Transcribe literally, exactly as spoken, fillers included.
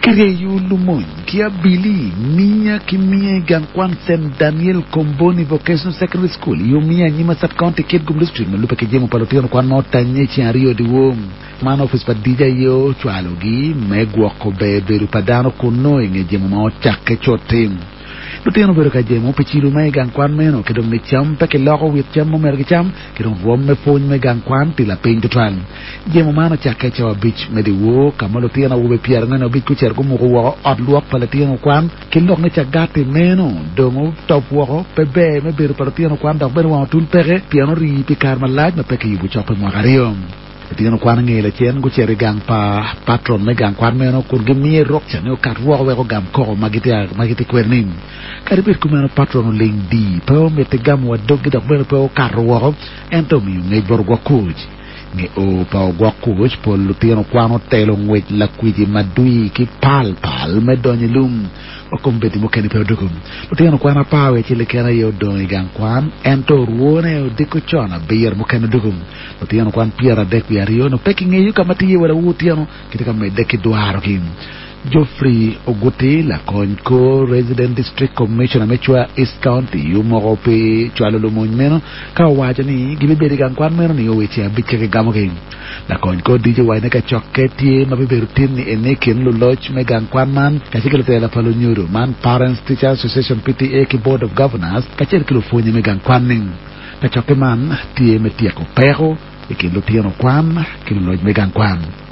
Kiryeyo lumony ki abili miya ki miya i gang kwan St Daniel Comboni Vocational Secondary School i Umia Nyima Sub-County Kitgum District ma lubbe ki jemo pa lutino kwan ma otanye i ceng aryo dyewor. Man opic pa DJ aye ocwalogi me gwoko ber bedo pa dano kuno i nge jemo ma ocakke cut-ti. Lutino obedo ka jemo pi cilo ma i gang kwan meno ki dong ni cam pe kiloko wit cam ma omyero gicam ki dong rwom me pwony me gang kwan tye lapiny tutwal. Jemo man ocakke i cawa abic me dyewor ka ma lutino awobe pyerangwen abic gucito gumuko woko ot lwok pa litino kwan ki lok ni cagati meno dong otop woko pe ber me bedo pa lutino kwan dok bene wang otul peke pien orii pi kare malac ma pe kiyubo cok pi mwaka aryo. Lutino kwan nge lacen gucito i gang pa patron me gang kwan meno kun gimiye rukca ni okat woko wek ogam koko ma gitye kwede-ni. Kadi bed kumeno patron oling di pe omiti gamo wa doggi dok bene pe okato woko ento omiyo ngec bot ogwok kuc. Nge o pa ogwok kuc pol lutino kwan otelo ngwec lakwiji madwi ki pal pal me donyo i lum wa kombeddi mukene pe odugo. Lutino kwan apar wiye acel keken aye odong i gang kwan ento orwone odiko con abiro mukene odugo. Lutino kwan pyeradek wiye aryo no pe kingeyo ka ma tye iye wa lawor otyeno kitye ka medde ki dwarogi. Geoffrey Oguti lakony kor Resident District Commissioner me Chwa East County omoko pi cwalo lumony meno ka owaco ni gibibedo i gang kwan meno nio weche abic ka kigamogi. Lakony kor DJ owaco ni kacokke tye ma bibedo tin ni eni i kin luloc me gang kwan man kacel ki lutela pa lunyodo man Parents Teachers Association PTA ki Board of Governors kacel ki lupwonye me gang kwan-ni. Kacokke man tye me tyeko peko i kin lutino kwan ki luloc me gang kwan.